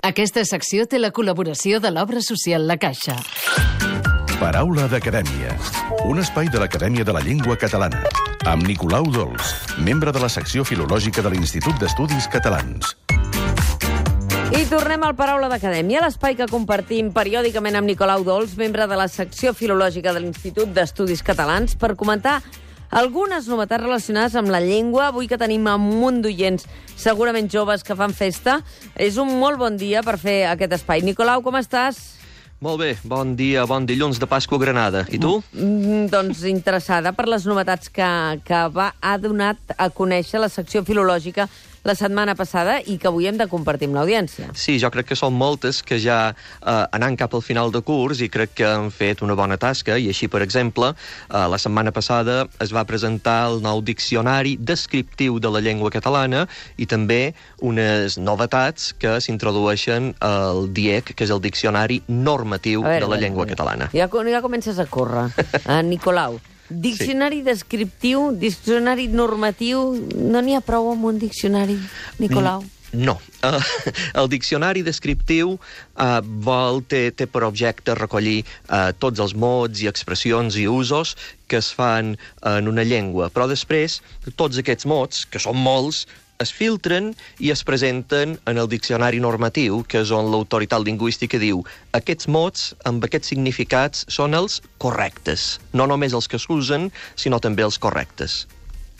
Aquesta secció té la col·laboració de l'Obra Social La Caixa. Paraula d'Acadèmia, un espai de l'Acadèmia de la Llengua Catalana, amb Nicolau Dols, membre de la secció filològica de l'Institut d'Estudis Catalans. I tornem al Paraula d'Acadèmia, l'espai que compartim periòdicament amb Nicolau Dols, membre de la secció filològica de l'Institut d'Estudis Catalans, per comentar algunes novetats relacionades amb la llengua. Avui que tenim un munt d'oients, segurament joves, que fan festa, és un molt bon dia per fer aquest espai. Nicolau, com estàs? Molt bé, bon dia, bon dilluns de Pasqua a Granada. I tu? Doncs interessada per les novetats que ha donat a conèixer la secció filològica la setmana passada i que avui hem de compartir amb l'audiència. Sí, jo crec que són moltes que ja anant cap al final de curs i crec que han fet una bona tasca i així, per exemple, la setmana passada es va presentar el nou diccionari descriptiu de la llengua catalana i també unes novetats que s'introdueixen al DIEC, que és el Diccionari Normatiu de la Llengua Catalana. Ja comences a córrer, Nicolau. Diccionari descriptiu, diccionari normatiu, no n'hi ha prou amb un diccionari, Nicolau? No. El diccionari descriptiu té per objecte recollir tots els mots i expressions i usos que es fan en una llengua, però després tots aquests mots, que són molts, es filtren i es presenten en el diccionari normatiu, que és on l'autoritat lingüística diu aquests mots amb aquests significats són els correctes. No només els que s'usen, sinó també els correctes.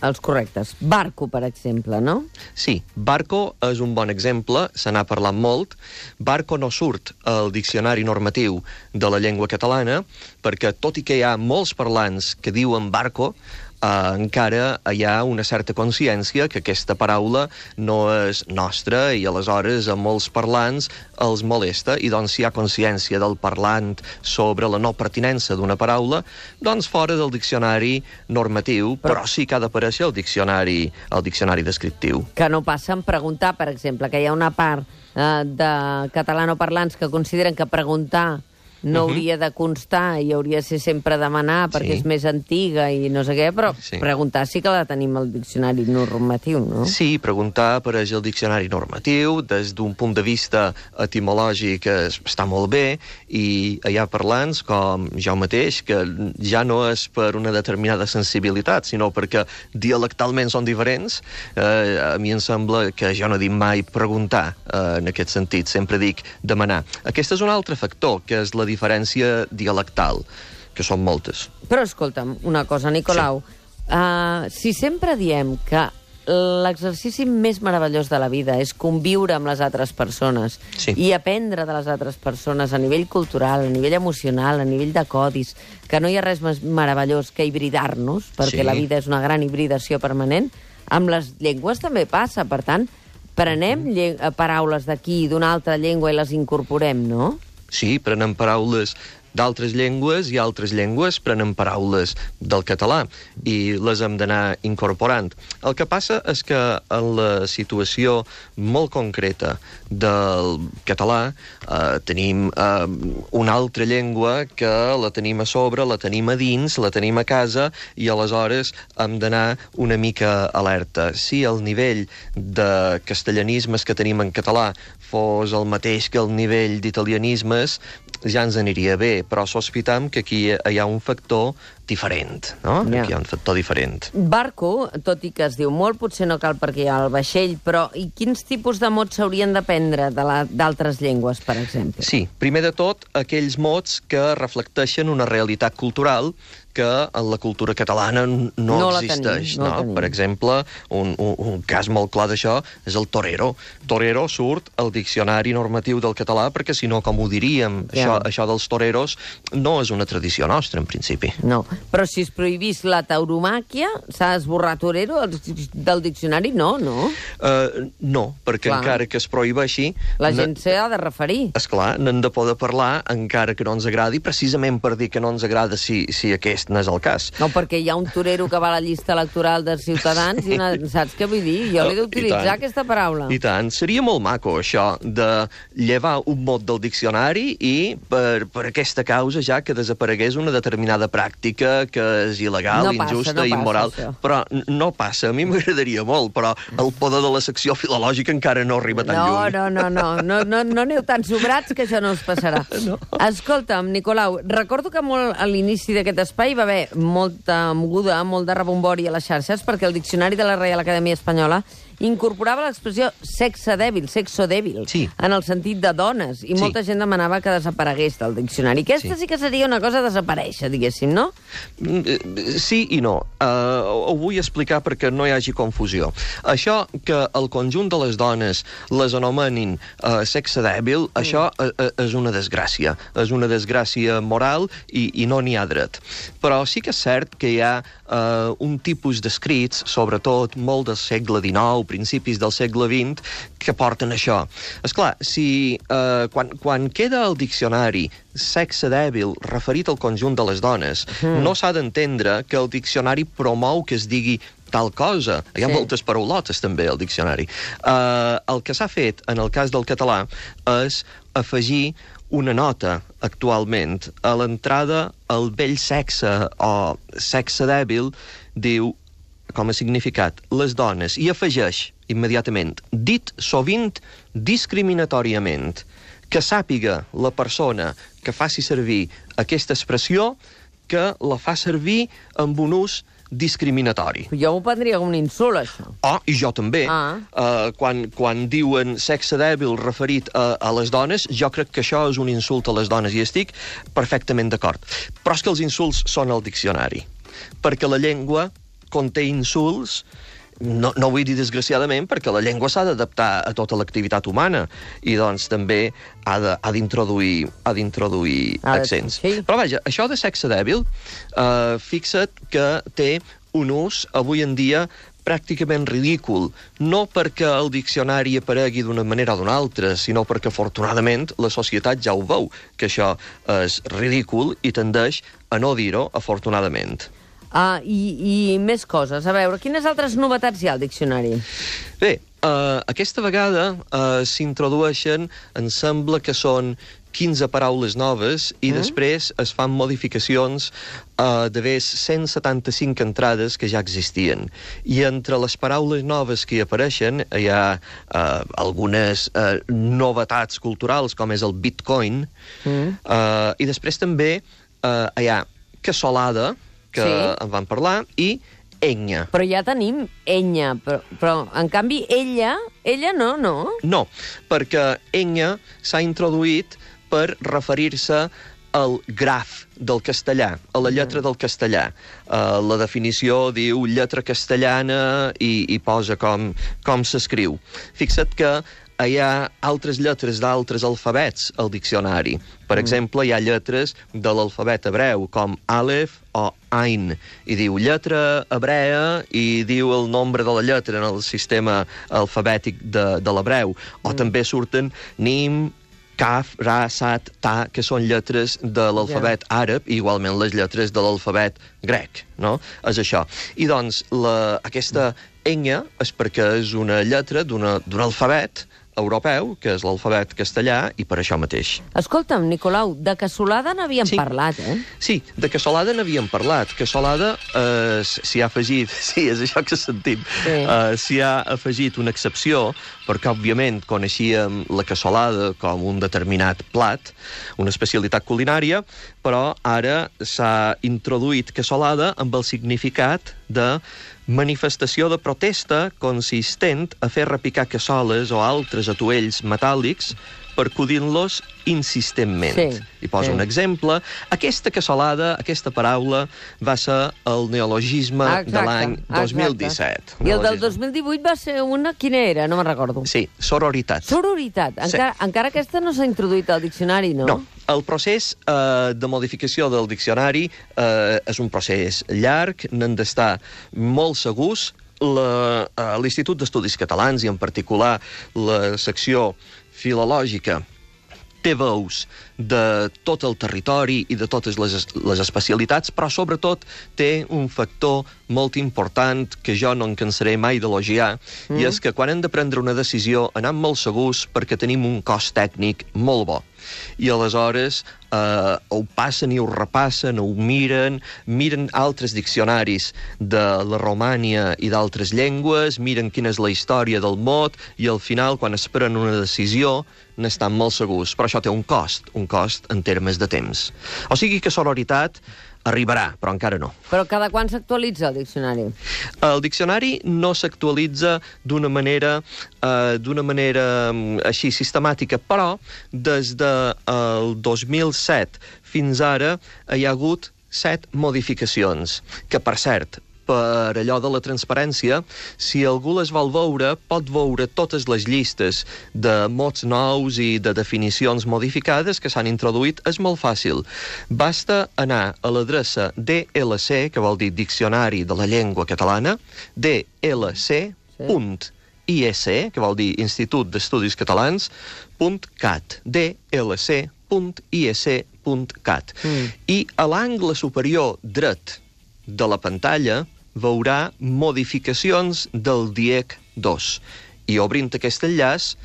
Els correctes. Barco, per exemple, no? Sí, barco és un bon exemple, se n'ha parlat molt. Barco no surt al diccionari normatiu de la llengua catalana, perquè tot i que hi ha molts parlants que diuen barco, encara hi ha una certa consciència que aquesta paraula no és nostra i aleshores a molts parlants els molesta i doncs si hi ha consciència del parlant sobre la no pertinença d'una paraula, doncs fora del diccionari normatiu, però sí que ha d'aparèixer el diccionari descriptiu. Que no passa en preguntar, per exemple, que hi ha una part de catalanoparlants que consideren que preguntar no hauria de constar i hauria de ser sempre demanar perquè és més antiga i no sé què, però preguntar sí que la tenim al diccionari normatiu, no? Sí, preguntar apareix al diccionari normatiu, des d'un punt de vista etimològic està molt bé, i hi ha parlants com jo mateix, que ja no és per una determinada sensibilitat, sinó perquè dialectalment són diferents. A mi em sembla que jo no dic mai preguntar en aquest sentit, sempre dic demanar. Aquest és un altre factor, que és la diferència dialectal, que són moltes. Però escolta'm, una cosa, Nicolau. Si sempre diem que l'exercici més meravellós de la vida és conviure amb les altres persones i aprendre de les altres persones a nivell cultural, a nivell emocional, a nivell de codis, que no hi ha res més meravellós que hibridar-nos, perquè la vida és una gran hibridació permanent, amb les llengües també passa. Per tant, prenem paraules d'aquí i d'una altra llengua i les incorporem, no? Sí, prenem paraules d'altres llengües i altres llengües prenen paraules del català i les hem d'anar incorporant. El que passa és que en la situació molt concreta del català tenim una altra llengua que la tenim a sobre, la tenim a dins, la tenim a casa i aleshores hem d'anar una mica alerta. Si el nivell de castellanismes que tenim en català fos el mateix que el nivell d'italianismes, ja ens aniria bé, però sospitam que aquí hi ha un factor diferent, no? Aquí hi ha un factor diferent. Barco, tot i que es diu molt, potser no cal perquè hi ha el vaixell, però i quins tipus de mots s'haurien d'aprendre d'altres llengües, per exemple? Sí, primer de tot, aquells mots que reflecteixen una realitat cultural que en la cultura catalana no existeix. Per exemple, un cas molt clar d'això és el torero. Torero surt al diccionari normatiu del català perquè, si no, com ho diríem, això dels toreros no és una tradició nostra, en principi. No, però si es prohibís la tauromàquia, s'ha d'esborrar torero del diccionari? No, no? No, perquè encara que es prohibeixi... La gent s'hi ha de referir. Esclar, n'hem de poder parlar encara que no ens agradi, precisament per dir que no ens agrada si aquest aquest no és el cas. No, perquè hi ha un torero que va a la llista electoral dels Ciutadans i saps què vull dir? Jo l'he d'utilitzar, aquesta paraula. I tant. Seria molt maco, això, de llevar un mot del diccionari i per aquesta causa ja que desaparegués una determinada pràctica que és il·legal, injusta i immoral. Però no passa. A mi m'agradaria molt, però el poder de la secció filològica encara no arriba tan lluny. No aneu tan sobrats que això no us passarà. Escolta'm, Nicolau, recordo que molt a l'inici d'aquest espai va haver molta moguda, molt de rebombori a les xarxes, perquè el Diccionari de la Reial Acadèmia Espanyola incorporava l'expressió sexe dèbil, sexo dèbil, en el sentit de dones, i molta gent demanava que desaparegués del diccionari. Aquesta sí que seria una cosa a desaparèixer, diguéssim, no? Sí i no. Ho vull explicar perquè no hi hagi confusió. Això que el conjunt de les dones les anomenin sexe dèbil, això és una desgràcia. És una desgràcia moral i no n'hi ha dret. Però sí que és cert que hi ha un tipus d'escrits, sobretot molt del segle XIX, principis del segle XX, que porten això. Esclar, si quan queda el diccionari sexe dèbil referit al conjunt de les dones, no s'ha d'entendre que el diccionari promou que es digui tal cosa. Hi ha moltes paraulotes, també, al diccionari. El que s'ha fet, en el cas del català, és afegir una nota, actualment, a l'entrada al vell sexe o sexe dèbil, diu, com a significat, les dones, i afegeix immediatament, dit sovint discriminatoriament, que sàpiga la persona que faci servir aquesta expressió que la fa servir amb un ús discriminatori. Jo m'ho prendria com un insult, això. I jo també. Quan diuen sexe dèbil referit a les dones, jo crec que això és un insult a les dones, i estic perfectament d'acord. Però és que els insults són al diccionari, perquè la llengua conté insults, no vull dir desgraciadament, perquè la llengua s'ha d'adaptar a tota l'activitat humana, i doncs també ha d'introduir accents. Però vaja, això de sexe dèbil, fixa't que té un ús, avui en dia, pràcticament ridícul, no perquè el diccionari aparegui d'una manera o d'una altra, sinó perquè, afortunadament, la societat ja ho veu, que això és ridícul i tendeix a no dir-ho, afortunadament. I més coses. A veure, quines altres novetats hi ha al diccionari? Bé, aquesta vegada s'introdueixen, em sembla que són 15 paraules noves, i després es fan modificacions d'haver 175 entrades que ja existien. I entre les paraules noves que hi apareixen hi ha algunes novetats culturals, com és el bitcoin, i després també hi ha cassolada, que en van parlar, i enya. Però ja tenim enya, però en canvi ella no? No, perquè enya s'ha introduït per referir-se al graf del castellà, a la lletra del castellà. La definició diu lletra castellana i posa com s'escriu. Fixa't que hi ha altres lletres d'altres alfabets al diccionari. Per exemple, hi ha lletres de l'alfabet hebreu, com Aleph o Ain, i diu lletra hebrea i diu el nombre de la lletra en el sistema alfabètic de l'hebreu. O també surten Nim, Kaf, Ra, Sat, Ta, que són lletres de l'alfabet àrab, i igualment les lletres de l'alfabet grec, no? És això. I doncs, aquesta enya és perquè és una lletra d'un alfabet europeu, que és l'alfabet castellà, i per això mateix. Escolta'm, Nicolau, de cassolada n'havíem parlat, eh? Sí, de cassolada n'havíem parlat. Cassolada s'hi ha afegit, sí, és això que sentim, s'hi ha afegit una excepció, perquè, òbviament, coneixíem la cassolada com un determinat plat, una especialitat culinària, però ara s'ha introduït cassolada amb el significat de manifestació de protesta consistent a fer repicar cassoles o altres atuells metàl·lics percudint-los insistentment. I poso un exemple. Aquesta cassolada, aquesta paraula, va ser el neologisme de l'any 2017. I el del 2018 va ser una... Quina era? No me'n recordo. Sí, sororitat. Sororitat. Encara aquesta no s'ha introduït al diccionari, no? No. El procés de modificació del diccionari és un procés llarg, n'han d'estar molt segurs. L'Institut d'Estudis Catalans, i en particular la secció filològica, té veus de tot el territori i de totes les especialitats, però sobretot té un factor molt important que jo no em cansaré mai d'elogiar, i és que quan hem de prendre una decisió anem molt segurs perquè tenim un cos tècnic molt bo. I aleshores ho passen i ho repassen, ho miren altres diccionaris de la Romània i d'altres llengües, miren quina és la història del mot, i al final, quan es pren una decisió, n'estan molt segurs. Però això té un cost en termes de temps. O sigui que sororitat arribarà, però encara no. Però cada quan s'actualitza el diccionari? El diccionari no s'actualitza d'una manera així sistemàtica, però des del 2007 fins ara hi ha hagut 7 modificacions, que per cert, per allò de la transparència, si algú les vol veure, pot veure totes les llistes de mots nous i de definicions modificades que s'han introduït. És molt fàcil. Basta anar a l'adreça DLC, que vol dir Diccionari de la Llengua Catalana, dlc.is, que vol dir Institut d'Estudis Catalans, .cat, dlc.is.cat. I a l'angle superior dret de la pantalla veurà modificacions del DIEC 2. I obrint aquest enllaç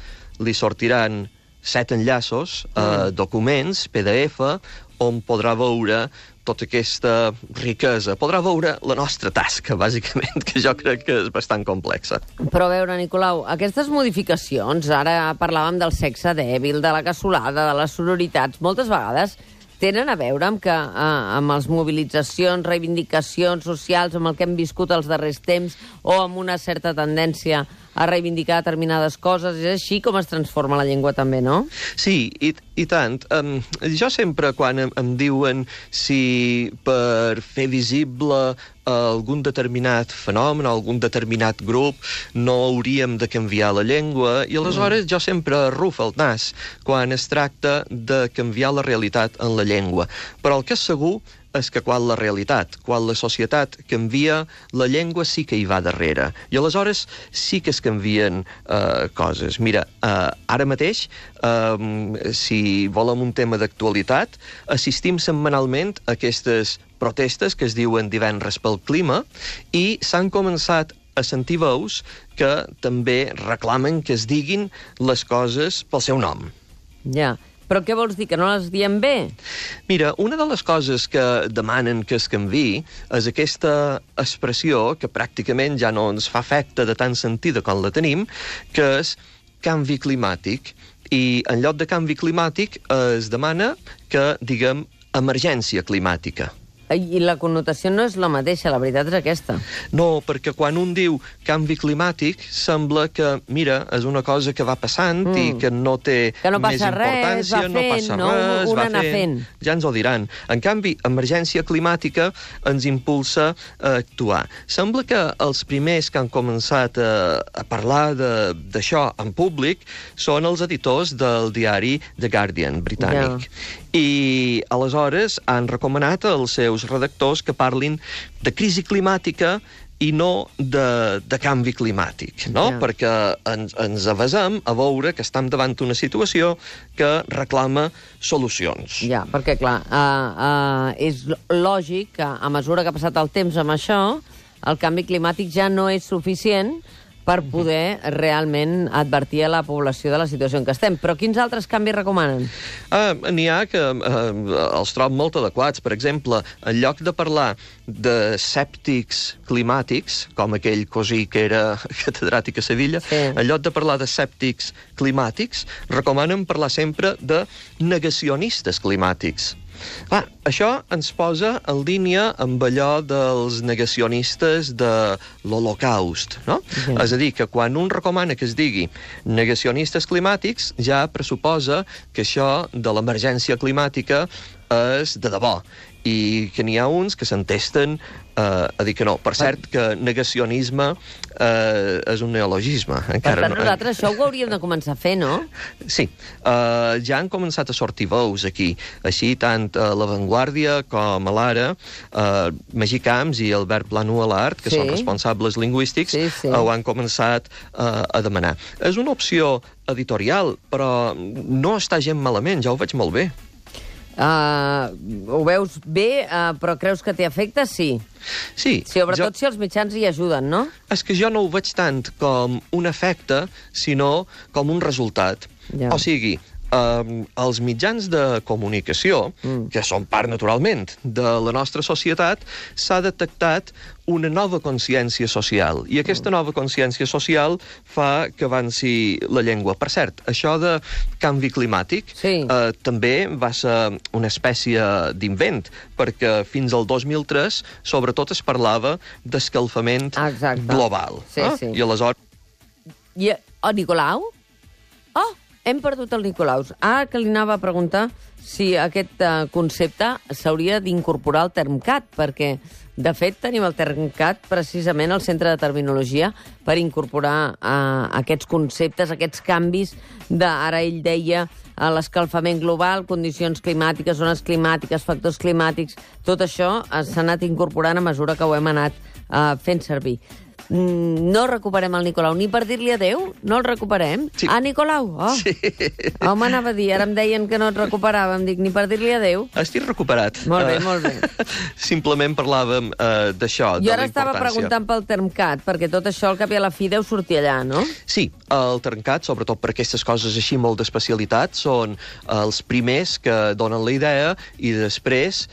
li sortiran 7 enllaços, documents, PDF, on podrà veure tota aquesta riquesa. Podrà veure la nostra tasca, bàsicament, que jo crec que és bastant complexa. Però a veure, Nicolau, aquestes modificacions, ara parlàvem del sexe dèbil, de la cassolada, de les sororitats, moltes vegades tenen a veure amb les mobilitzacions, reivindicacions socials, amb el que hem viscut els darrers temps, o amb una certa tendència a reivindicar determinades coses. És així com es transforma la llengua també, no? Sí, i tant. Jo sempre, quan em diuen si per fer visible algun determinat fenomen, algun determinat grup, no hauríem de canviar la llengua, i aleshores jo sempre arrufo el nas quan es tracta de canviar la realitat en la llengua. Però el que és segur és que quan la realitat, quan la societat canvia, la llengua sí que hi va darrere. I aleshores sí que es canvien coses. Mira, ara mateix, si volem un tema d'actualitat, assistim setmanalment a aquestes protestes que es diuen divendres pel clima, i s'han començat a sentir veus que també reclamen que es diguin les coses pel seu nom. Ja. Però què vols dir, que no les diem bé? Mira, una de les coses que demanen que es canviï és aquesta expressió que pràcticament ja no ens fa efecte de tan sentida com la tenim, que és canvi climàtic. I en lloc de canvi climàtic es demana que diguem emergència climàtica. I la connotació no és la mateixa, la veritat és aquesta. No, perquè quan un diu canvi climàtic, sembla que, mira, és una cosa que va passant i que no té més importància, no passa res, va fent. Ja ens ho diran. En canvi, emergència climàtica ens impulsa a actuar. Sembla que els primers que han començat a parlar d'això en públic són els editors del diari The Guardian britànic. I aleshores han recomanat als seus redactors que parlin de crisi climàtica i no de canvi climàtic, no? Perquè ens avasem a veure que estem davant d'una situació que reclama solucions. Ja, perquè, clar, és lògic que a mesura que ha passat el temps amb això, el canvi climàtic ja no és suficient per poder realment advertir a la població de la situació en què estem. Però quins altres canvis recomanen? N'hi ha que els trobo molt adequats. Per exemple, en lloc de parlar de sèptics climàtics, com aquell cosí que era catedràtic a Sevilla, en lloc de parlar de sèptics climàtics, recomanen parlar sempre de negacionistes climàtics. Clar, això ens posa en línia amb allò dels negacionistes de l'Holocaust, no? És a dir, que quan un recomana que es digui negacionistes climàtics, ja pressuposa que això de l'emergència climàtica és de debò, i que n'hi ha uns que s'entesten a dir que no. Per cert, que negacionisme és un neologisme. Per tant, nosaltres això ho hauríem de començar a fer, no? Sí. Ja han començat a sortir veus aquí. Així, tant a La Vanguardia com a l'Ara, Magí Camps i Albert Plano Alart, que són responsables lingüístics, ho han començat a demanar. És una opció editorial, però no està gent malament, ja ho veig molt bé. Ho veus bé, però creus que té efecte? Sí. Sí. Sobretot si els mitjans hi ajuden, no? És que jo no ho veig tant com un efecte, sinó com un resultat. O sigui, els mitjans de comunicació, que són part, naturalment, de la nostra societat, s'ha detectat una nova consciència social. I aquesta nova consciència social fa que avanci la llengua. Per cert, això de canvi climàtic també va ser una espècie d'invent, perquè fins al 2003, sobretot, es parlava d'escalfament global. I aleshores... Nicolau? Hem perdut el Nicolaus. Ara que li anava a preguntar si aquest concepte s'hauria d'incorporar al Termcat, perquè, de fet, tenim el Termcat precisament al Centre de Terminologia per incorporar aquests conceptes, aquests canvis ara ell deia l'escalfament global, condicions climàtiques, zones climàtiques, factors climàtics, tot això s'ha anat incorporant a mesura que ho hem anat fent servir. No recuperem el Nicolau, ni per dir-li adéu? No el recuperem? Sí. Nicolau? Sí. Home, anava a dir, ara em deien que no et recuperàvem, dic, ni per dir-li adéu? Estic recuperat. Molt bé, molt bé. Simplement parlàvem d'això, de la importància. Jo ara estava preguntant pel Termcat, perquè tot això al cap i a la fi deu sortir allà, no? Sí, el Termcat, sobretot per aquestes coses així molt d'especialitat, són els primers que donen la idea i després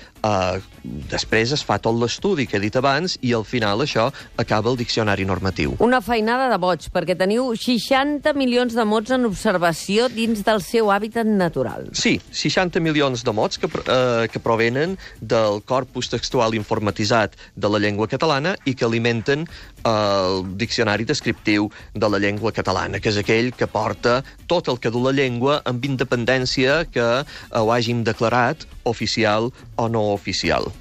es fa tot l'estudi que he dit abans i al final això acaba el diccionari normatiu. Una feinada de boig, perquè teniu 60 milions de mots en observació dins del seu hàbitat natural. Sí, 60 milions de mots que provenen del corpus textual informatitzat de la llengua catalana i que alimenten el diccionari descriptiu de la llengua catalana, que és aquell que porta tot el que du la llengua amb independència que ho hàgim declarat oficial o no oficial.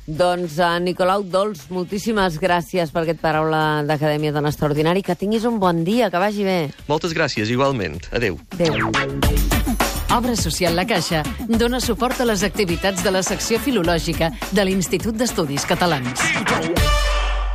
Doncs, Nicolau Dols, moltíssimes gràcies per aquest Paraula d'Acadèmia Dona Extraordinari. Que tinguis un bon dia, que vagi bé. Moltes gràcies, igualment. Adéu. Adéu. Obra Social La Caixa dona suport a les activitats de la secció filològica de l'Institut d'Estudis Catalans.